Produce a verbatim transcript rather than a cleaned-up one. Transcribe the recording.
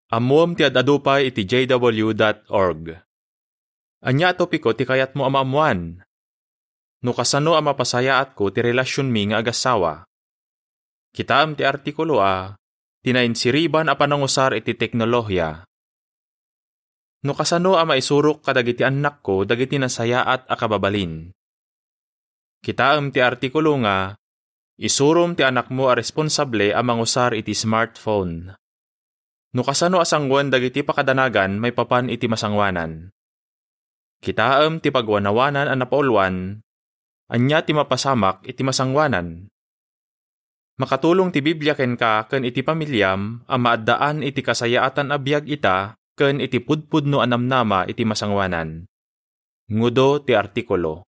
Ammoem ti ad-adu pay iti J W dot org. Ania a topiko ti kayatmo a maammoan? No kasano a mapasayaatko ti relasionmi nga agassawa? Kitaem ti artikulo A, ti nainsiriban a panangusar iti teknolohia. No kasano a maisurok kadagiti annakko dagiti nasayaat a kababalin? Kitaem ti artikulo nga, isurom ti anakmo a responsable a mangusar iti smartphone. No kasano a sangoen dagiti pakadanagan maipapan iti masangoanan? Kitaem ti pagwanawanan a napauluan, ania ti mapasamak iti masangoanan? Makatulong ti Biblia kenka ken iti pamiliam a maaddaan iti kasayaatan a biag ita ken iti pudpudno a namnama iti masangoanan. Ngudo ti artikulo.